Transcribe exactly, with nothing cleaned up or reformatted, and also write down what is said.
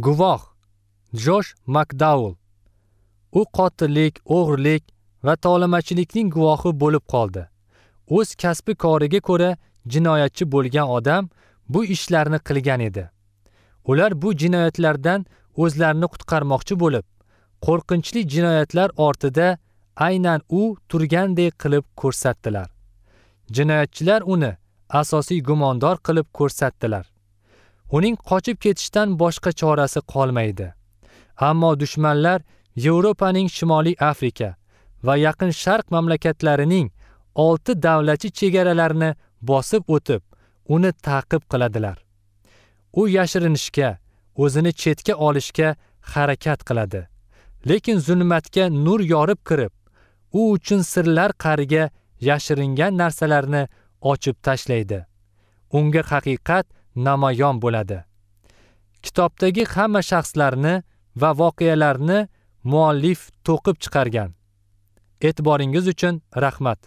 Guvoh Josh McDowell. U qotillik, o'g'rilik va tovlamachilikning guvohi bo'lib qoldi. O'z kasbi koriga ko'ra jinoyatchi bo'lgan odam bu ishlarni qilgan edi. Ular bu jinoyatlardan o'zlarini qutqarmoqchi bo'lib, qo'rqinchli jinoyatlar ortida aynan u turgandek qilib ko'rsatdilar. Jinoyatchilar uni asosiy gumondor qilib ko'rsatdilar. Uning qochib ketishdan boshqa chorasi qolmaydi. Ammo dushmanlar Yevropaning Shimoliy Afrika va Yaqin Sharq mamlakatlarining olti davlatchi chegaralarini bosib o'tib, uni ta'qib qiladilar. U yashirinishga, o'zini chetga olishga harakat qiladi. Lekin zulmatga nur yorib kirib, u uchun sirlar qa'riga yashiringan narsalarni ochib tashlaydi. Unga haqiqat namoyon bo'ladi. Kitobdagi hamma shaxslarni va voqealarni muallif to'qib chiqargan. E'tiboringiz uchun rahmat.